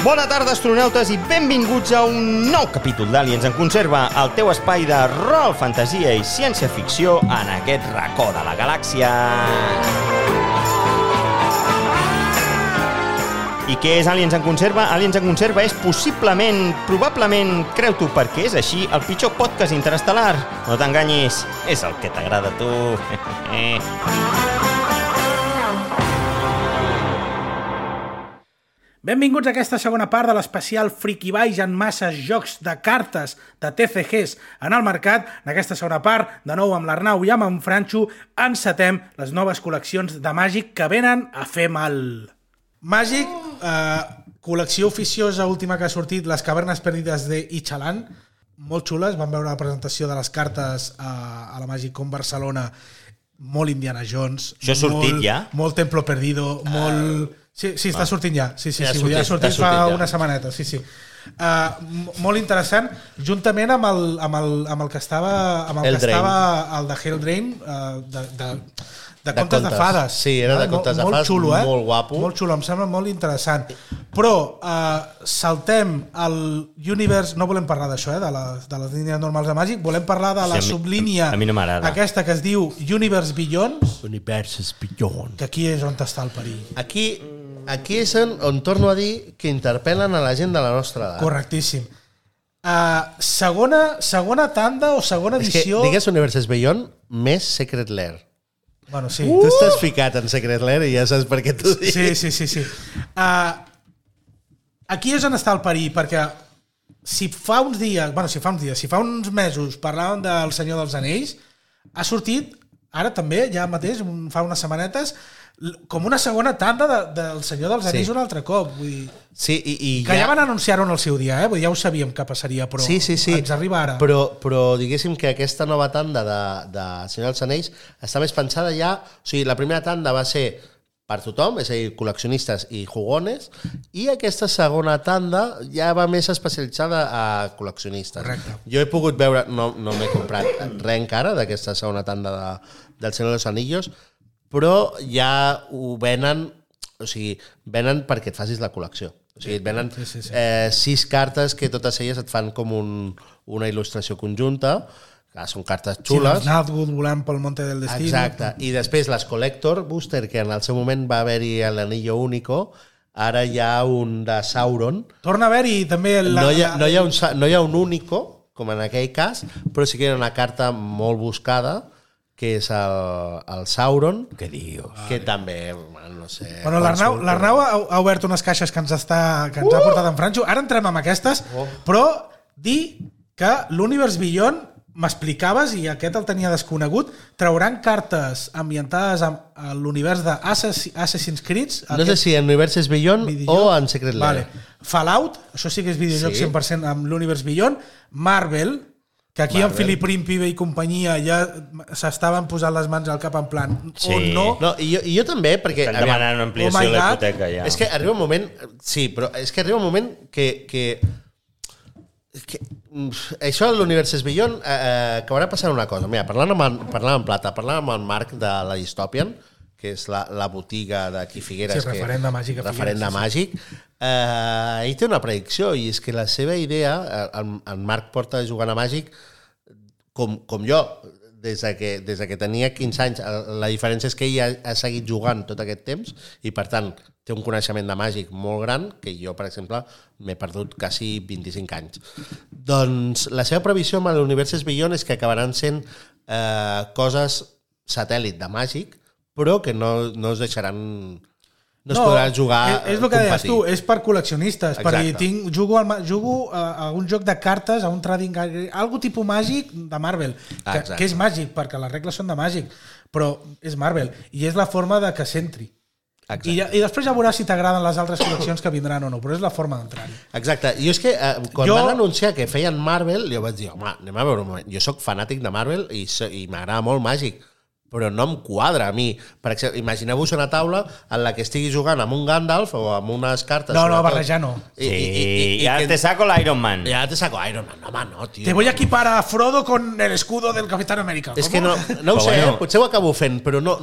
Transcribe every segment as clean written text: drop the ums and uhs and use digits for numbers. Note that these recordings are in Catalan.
Bona tarda, astronautes, i benvinguts a un nou capítol d'Aliens en Conserva, el teu espai de rol, fantasia i ciència-ficció en aquest racó de la galàxia. I què és Aliens en Conserva? Aliens en Conserva és possiblement, probablement, creu-t'ho perquè és així, el pitjor podcast interestel·lar. No t'enganyis, és el que t'agrada a tu. Benvinguts a aquesta segona part de l'especial Friki Baix en masses jocs de cartes de TCGs en el mercat. En aquesta segona part, de nou amb l'Arnau i amb en Franxo, encetem les noves col·leccions de Màgic que venen a fer mal. Màgic, col·lecció oficiosa última que ha sortit, Les cavernes perdides de Ixalan, molt xules. Vam veure la presentació de les cartes a la Màgic Con Barcelona, molt Indiana Jones. Això ha sortit ja? Molt Templo Perdido, molt... Sí, està sortint ja. Sí, ja ha sortit fa una setmaneta, sí. Molt interessant, juntament amb el que estava el de Helldrain, de contes de fades. Sí, era de contes de fades, xulo, molt guapo. Molt xulo, em sembla molt interessant. Però saltem al Universe, no volem parlar d'això, de les línies normals de Màgic, volem parlar de la sublínia aquesta que es diu Universe Beyond. Universes Beyond. Que aquí és on està el perill. Aquí és on torno a dir que interpel·len a la gent de la nostra edat. Correctíssim. Segona tanda o segona edició... És que digues Universes Beyond més Secret Lair. Bueno, sí. Tu estàs ficat en Secret Lair i ja saps per què t'ho dic. Sí. Aquí és on està el perill, perquè si fa uns mesos parlàvem del Senyor dels Anells, ha sortit, ara també, ja mateix, fa unes setmanetes, com una segona tanda del Senyor dels Anells un altre cop. Vull dir, que ja van anunciar-ho en el seu dia, vull dir, ja ho sabíem que passaria, però ens arriba ara. Però diguéssim que aquesta nova tanda de Senyor dels Anells està més pensada ja... O sigui, la primera tanda va ser per tothom, és a dir, col·leccionistes i jugones, i aquesta segona tanda ja va més especialitzada a col·leccionistes. Correcte. Jo he pogut veure, no m'he comprat res encara d'aquesta segona tanda del Senyor dels Anillos, però ja ho venen, o sigui, venen perquè et facis la col·lecció. O sigui, et venen 6 cartes que totes elles et fan com una il·lustració conjunta, que són cartes xules. Sí, Nazgûl volant pel Monte del Destino. Exacte, i després les Collector Booster, que en el seu moment va haver-hi l'Anillo Único, ara hi ha un de Sauron. Torna a haver-hi també... No hi ha un Único, com en aquell cas, però sí que hi ha una carta molt buscada, que és el Sauron, Què dius? que també, no sé... Bueno, l'Arnau ha obert unes caixes que ens ha portat en Franxo. Ara entrem amb aquestes, però dir que l'Universe Beyond, m'explicaves, i aquest el tenia desconegut, trauran cartes ambientades a l'univers d'Assassin's Creed. No sé si en Universes Beyond o en Secret Lair. Fallout, això sí que és videojoc 100% amb l'Universe Beyond. Marvel, que aquí en Philip Príncipe i companyia ja s'estaven posant les mans al cap en plan, o no. I jo també, perquè... Estan demanant una ampliació de la hipoteca, ja. És que arriba un moment... Sí, però és que arriba un moment que això de l'Universes Beyond acabarà passant una cosa. Mira, parlant amb Plata, parlant amb el Marc de la Dystopian, que és la botiga d'aquí Figueres, referent de Màgic, ell té una predicció, i és que la seva idea, en Marc porta jugant a Màgic com jo, des que tenia 15 anys. La diferència és que ell ha seguit jugant tot aquest temps i, per tant, té un coneixement de Màgic molt gran, que jo, per exemple, m'he perdut quasi 25 anys. Doncs la seva previsió amb l'Universes Beyond és que acabaran sent coses satèl·lit de Màgic, però que no es deixaran... No es podrà jugar... És el que deies tu, és per col·leccionistes. Per dir, jugo a un joc de cartes, a un trading... Algo tipus Màgic de Marvel, que és Màgic, perquè les regles són de Màgic, però és Marvel, i és la forma de que s'entri. I després ja veuràs si t'agraden les altres col·leccions que vindran o no, però és la forma d'entrar-hi. Exacte. Jo és que quan van anunciar que feien Marvel, jo vaig dir, home, anem a veure un moment. Jo soc fanàtic de Marvel i m'agrada molt Màgic, però no em quadra a mi. Per exemple, imagineu-vos una taula en la que estigui jugant amb un Gandalf o amb unes cartes... No, barrejar no. Sí, ja te saco l'Iron Man. Ja te saco Iron Man. Home, no, tio. Te voy a equipar a Frodo con el escudo del Capitán América. És que no ho sé, potser ho acabo fent, però no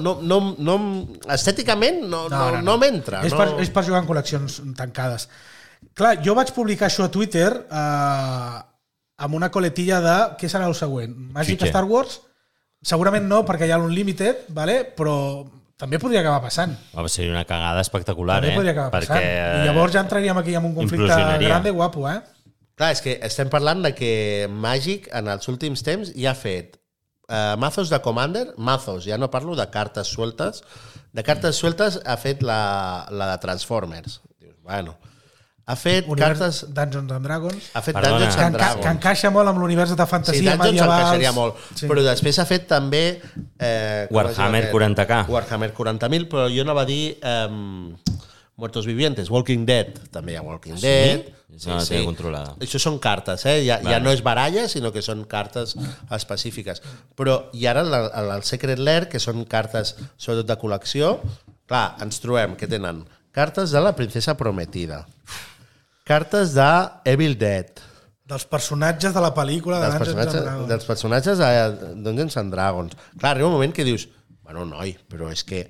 estèticament no m'entra. És per jugar en col·leccions tancades. Clar, jo vaig publicar això a Twitter amb una coletilla de què serà el següent? Magic Xutxe. Star Wars? Segurament no, perquè hi ha l'Unlimited, vale? Però també podria acabar passant. Va ser una cagada espectacular, També podria acabar passant. I llavors ja entraríem aquí en un conflicte grande guapo, Clar, és que estem parlant de que Magic en els últims temps ja ha fet mazos de Commander, ja no parlo de cartes sueltes, ha fet la de Transformers. Dius, bueno, ha fet cartes... Dungeons and Dragons. Ha fet Dungeons and Dragons. Que encaixa molt amb l'univers de fantasia medievals. Sí, Dungeons encaixaria molt. Sí. Però després ha fet també... Warhammer 40K. Warhammer 40.000, però jo no va dir Muertos Vivientes, Walking Dead. També hi ha Walking Dead. Sí, no la té controlada. Això són cartes, ja no és baralla, sinó que són cartes específiques. Però, i ara el Secret Lair, que són cartes sobretot de col·lecció, clar, ens trobem que tenen cartes de la Princesa Prometida, cartes de Evil Dead, dels personatges de la pel·lícula de Dungeons and Dragons. Dels personatges de Dungeons and Dragons. Clar, arriba un moment que dius, bueno, noi, però és que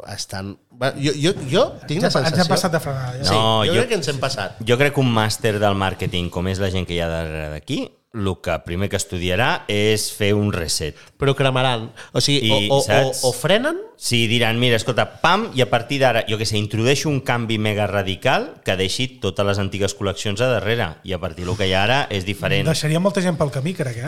estan... Jo tinc la sensació... Ens hem passat de frenada. Ja. Sí, jo crec que ens hem passat. Jo crec que un màster del màrqueting, com és la gent que hi ha darrere d'aquí, el que primer que estudiarà és fer un reset. Però cremaran. O sigui, o frenen... Sí, diran, mira, escolta, pam, i a partir d'ara, jo què sé, introdueixo un canvi mega radical que deixi totes les antigues col·leccions a darrere, i a partir del que hi ha ara és diferent. Deixaria molta gent pel camí, crec,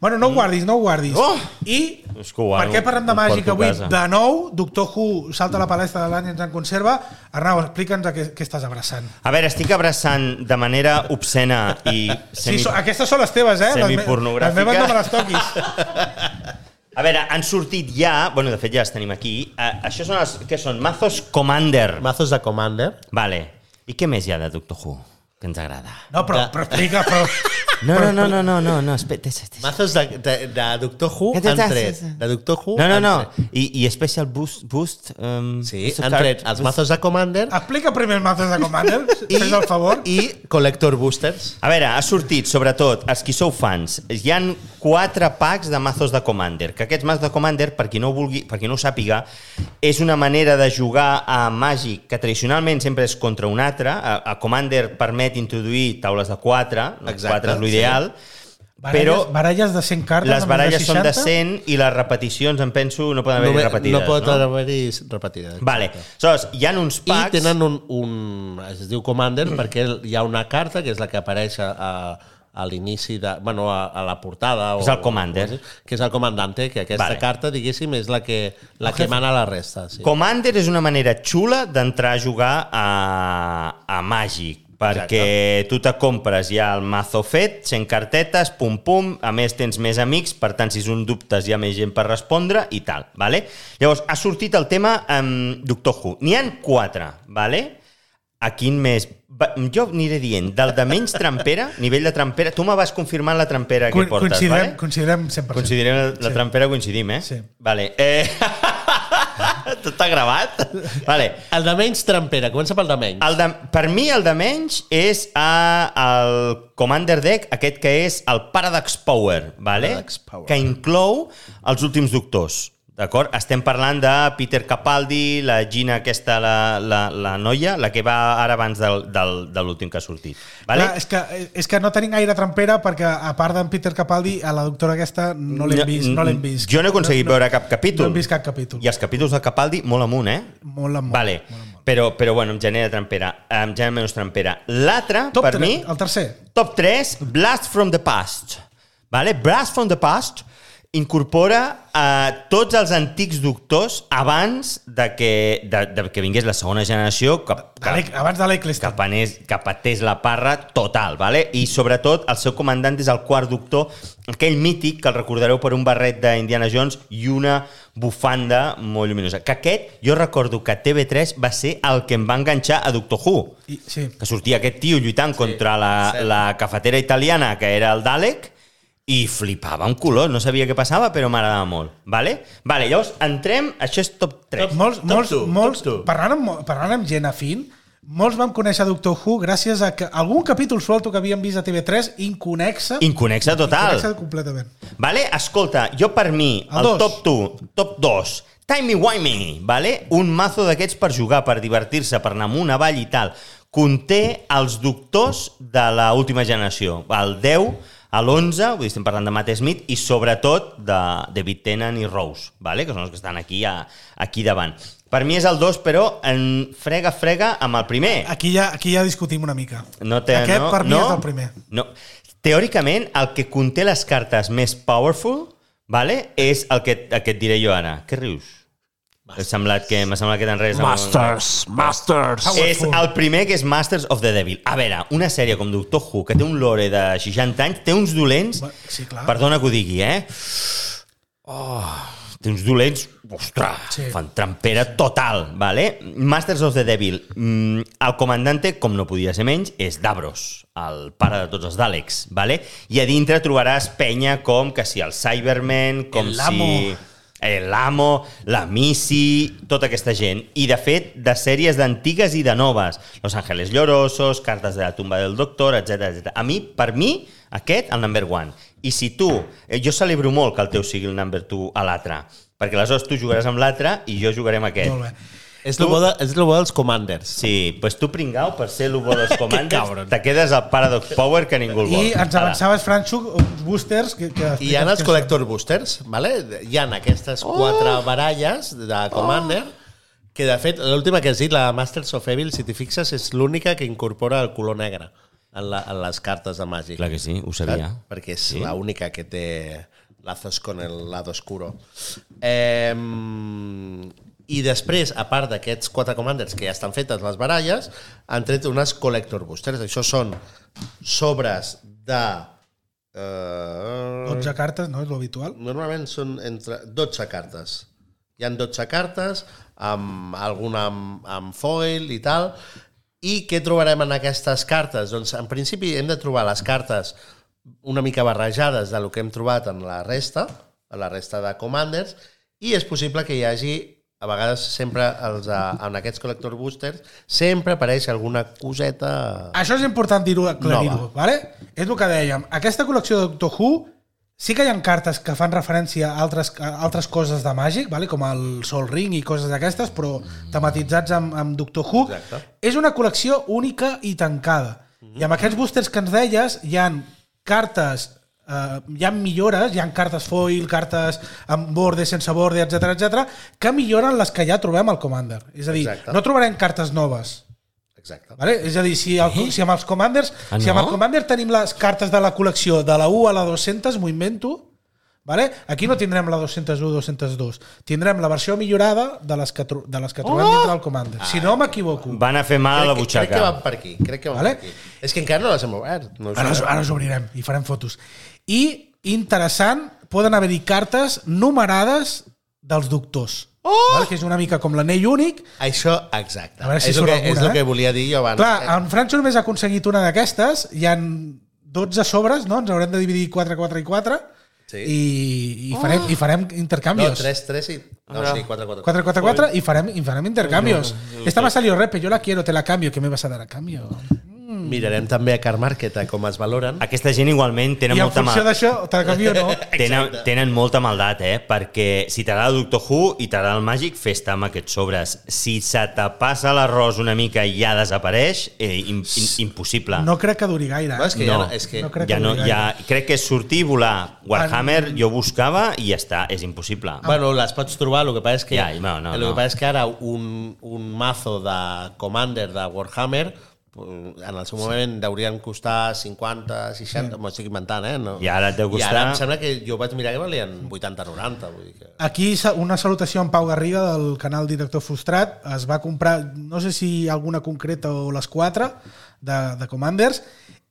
Bueno, no ho guardis. Oh! I per què parlem de màgica avui? De nou, Doctor Who salta a la palestra de l'Àniens en conserva. Arnau, explica'ns què estàs abraçant. A veure, estic abraçant de manera obscena i aquestes són les teves, semipornogràfiques. Les meves no me les toquis. A veure, han sortit ja... Bueno, de fet ja les tenim aquí. Això són què són? Mazos Commander. Mazos de Commander. Vale. I què més hi ha de Doctor Who que ens agrada? No, però explica... No, espera. Mazos de Doctor Who han tret. De Doctor Who No. I Special Boost... Sí, han tret els mazos de Commander. Explica primer els mazos de Commander, fes el favor. I Collector Boosters. A veure, ha sortit, sobretot, els qui sou fans, hi han 4 packs de mazos de Commander, que aquests mazos de Commander, per qui no ho sàpiga, és una manera de jugar a Magic que tradicionalment sempre és contra un altre. A Commander permet introduir taules de 4, 4 és l'ideal, però baralles de 100 cartes, les baralles són de 100 i les repeticions, em penso, no poden haver-hi repetides. No poden haver-hi repetides. Vale. Aleshores, hi ha uns packs... I tenen es diu Commander perquè hi ha una carta que és la que apareix a l'inici a la portada. És el Commander. Que és el comandante, que aquesta carta, diguéssim, és la que mana la resta. Sí. Commander és una manera xula d'entrar a jugar a Magic, perquè tu te compres ja el mazo fet, 100 cartetes, pum, a més tens més amics, per tant, si és un dubtes hi ha més gent per respondre i tal, vale? Llavors, ha sortit el tema Doctor Who. N'hi ha 4, vale? A quin més? Jo aniré dient, del de menys trampera, nivell de trampera, tu me vas confirmant la trampera que portes, vale? Coincidirem 100%. Coincidirem la trampera, coincidim, Sí. Vale. Tot està gravat? Vale. El de menys trampera, comença pel de menys. Per mi el de menys és el Commander Deck, aquest que és el Paradox Power, vale? Que inclou els últims doctors. D'acord? Estem parlant de Peter Capaldi, la Gina aquesta, la noia, la que va ara abans de l'últim que ha sortit. Vale? Clar, és que no tenim gaire trampera perquè, a part d'en Peter Capaldi, a la doctora aquesta no l'hem vist. Jo no he aconseguit veure cap capítol. No hem vist cap capítol. I els capítols de Capaldi, molt amunt, Molt amunt. Vale. Però bueno, em genera trampera. Em genera menys trampera. L'altre, per mi... El tercer. Top 3, Blast from the Past. Vale? Blast from the Past incorpora tots els antics doctors abans de que vingués la segona generació abans de l'Eccleston que patés la parra total, vale? I sobretot el seu comandant és el quart doctor, aquell mític que el recordareu per un barret d'Indiana Jones i una bufanda molt lluminosa, que aquest, jo recordo que TV3 va ser el que em va enganxar a Doctor Who, sí. Que sortia aquest tio lluitant contra la cafetera italiana que era el Dalek i flipava un color, no sabia què passava, però m'agradava molt. Vale, llavors entrem, això és top 3. Molts, parlant amb gent afín, molts vam conèixer Doctor Who gràcies a que algun capítol suelto que havíem vist a TV3 inconexa total. Inconexa completament. Vale, escolta, jo per mi, el top 2, Timey-wimey, vale? Un mazo d'aquests per jugar, per divertir-se, per anar amunt, avall i tal. Conté els doctors de l'última generació, el 10, l'11, vull dir, estem parlant de Matt Smith, i sobretot de David Tennant i Rose, vale? Que són els que estan aquí davant. Per mi és el 2, però en frega amb el primer. Aquí ja discutim una mica. Aquest per mi és el primer. No. Teòricament, el que conté les cartes més powerful, vale, és el que et diré jo ara. Què rius? M'ha semblat que t'enredes. Masters. És el primer, que és Masters of the Devil. A veure, una sèrie com Doctor Who, que té un lore de 60 anys, té uns dolents... Sí, clar. Perdona que ho digui, té uns dolents, ostres, Sí. fan trampera total, vale? Masters of the Devil. El comandante, com no podia ser menys, és Davros, el pare de tots els Daleks, vale? I a dintre trobaràs penya com que si el Cyberman, com l'Amo, la Missy, tota aquesta gent. I, de fet, de sèries d'antigues i de noves. Los Ángeles Llorosos, Cartes de la tumba del doctor, etc. Per mi, aquest, el number 1. I si tu... Jo celebro molt que el teu sigui el number 2 a l'altre, perquè aleshores tu jugaràs amb l'altre i jo jugaré amb aquest. Molt bé. És el bo dels Commanders. Sí, doncs tu, pringau, per ser el bo dels Commanders, te quedes al Paradox Power que ningú el vol. I ens avançaves, Franxo, uns boosters... I hi ha els Collector Boosters, vale? Hi ha aquestes 4 baralles de Commander, que de fet, l'última que has dit, la Masters of Evil, si t'hi fixes, és l'única que incorpora el color negre en les cartes de Magic. Clar que sí, ho sabia. Perquè és l'única que té lazos con el lado oscuro. I després, a part d'aquests 4 Commanders que ja estan fetes les baralles, han tret unes Collector Boosters. Això són sobres de... 12 cartes, no? És l'habitual. Normalment són entre 12 cartes. Hi ha 12 cartes, amb alguna amb foil i tal. I què trobarem en aquestes cartes? Doncs, en principi, hem de trobar les cartes una mica barrejades del que hem trobat en la resta de Commanders, i és possible que hi hagi, a vegades sempre en aquests Collector Boosters, sempre apareix alguna coseta... Això és important aclarir-ho, ¿vale? És el que dèiem. Aquesta col·lecció de Doctor Who sí que hi ha cartes que fan referència a altres coses de Magic, ¿vale? Com el Sol Ring i coses d'aquestes, però tematitzats amb Doctor Who. Exacte. És una col·lecció única i tancada. I amb aquests boosters que ens deies, hi ha cartes... hi ha millores, hi ha cartes foil, cartes amb borde, sense borde, etc, que milloren les que ja trobem al Commander. És a dir, Exacte. no trobarem cartes noves. Exacte. Vale? És a dir, si amb els Commanders, si amb el Commander tenim les cartes de la col·lecció de la 1 a la 200, m'ho invento, vale? Aquí no tindrem la 201 202, tindrem la versió millorada de les que trobem dintre del Commander. Si no m'equivoco. Van a fer mal a la butxaca. Crec que van per aquí. Vale? Per aquí. És que encara no les hem obert. No Ara els obrirem i farem fotos. I, interessant, poden haver-hi cartes numerades dels doctors. Vale? Que és una mica com l'anell únic. Això, exacte. A veure si és surt el alguna, que volia dir jo abans. Clar, en Franxo només ha aconseguit una d'aquestes, hi han 12 sobres, no? Ens haurem de dividir 4, 4 i 4, Sí. i farem intercanvios. No, 3 i... No, sí, 4, 4. 4, 4, 4 y farem intercambios. Esta me ha salido repe, yo la quiero, te la cambio. ¿Qué me vas a dar a cambio? Mirarem també a Car Market com es valoren. Aquesta gent igualment tenen I en molta funció d'això, te la canvio o no. tenen molta maldat, perquè si t'agrada Doctor Who i t'agrada el Màgic, fes-te amb aquests sobres. Si se te passa l'arròs una mica i ja desapareix, impossible. No crec que duri gaire. No, és que No. No crec que duri gaire. Crec que és sortir i volar. Warhammer jo buscava i ja està, és impossible. Bueno, les pots trobar, el que passa és que, no. passa és que ara un mazo de Commander de Warhammer en el seu moment haurien costar 50, 60, m'ho estic inventant, No. I ara et deu costar... I ara em sembla que jo vaig mirar que valien 80, 90. Vull dir que... Aquí una salutació a en Pau Garriga del canal Director Frustrat. Es va comprar, no sé si alguna concreta o les 4 de Commanders,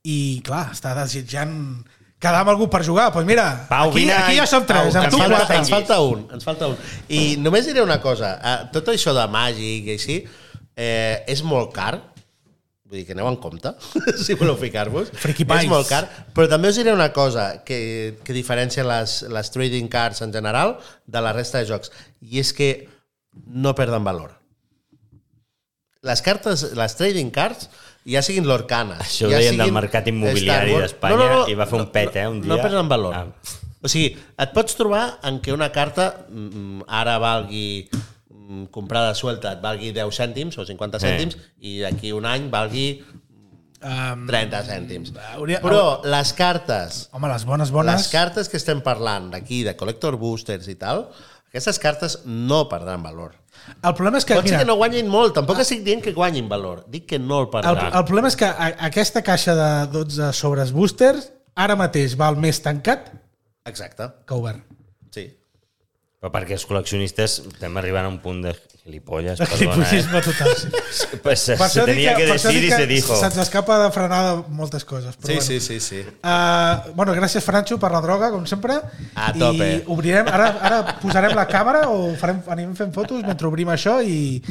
i clar, està desitjant quedar amb algú per jugar. Doncs pues mira, Pau, aquí ja som 3, Pau, amb tu ens 4. falta un. I només diré una cosa, tot això de Màgic i així és molt car. Vull dir que aneu en compte, si voleu ficar-vos. És molt car, però també us diré una cosa que diferencia les trading cards en general de la resta de jocs, i és que no perden valor. Les cartes, les trading cards, ja siguin l'Orcana... Això ho deien del mercat immobiliari d'Espanya i va fer un pet, un dia. No perden valor. O sigui, et pots trobar en què una carta ara valgui comprada suelta, et valgui 10 cèntims o 50 cèntims i d'aquí un any valgui 30 cèntims. Però les cartes... Home, les bones... Les cartes que estem parlant d'aquí, de Collector Boosters i tal, aquestes cartes no perdran valor. El problema és que... Pot ser que no guanyin molt, tampoc estic dient que guanyin valor, dic que no el perdran. El problema és que aquesta caixa de 12 sobres boosters ara mateix val més tancat Exacte. que obert. Sí. Però perquè els col·leccionistes estem arribant a un punt de gilipolles, Gilipollisme total. Pues se tenia que decir i se dijo. Se'ns escapa de frenar moltes coses. Però Sí. Bueno, gràcies, Franxo, per la droga, com sempre. A tope. I obrirem, ara posarem la càmera o anem fent fotos mentre obrim això i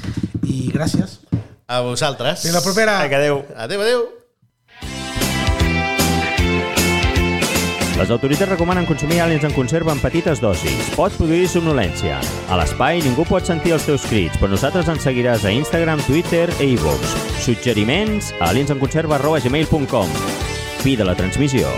gràcies. A vosaltres. Fins la propera. Adéu. Adéu. Les autoritats recomanen consumir àliens en conserva en petites dosis. Pot produir somnolència. A l'espai ningú pot sentir els teus crits, però nosaltres ens seguiràs a Instagram, Twitter i iVoox. Suggeriments a aliensenconserva@gmail.com. Fi de la transmissió.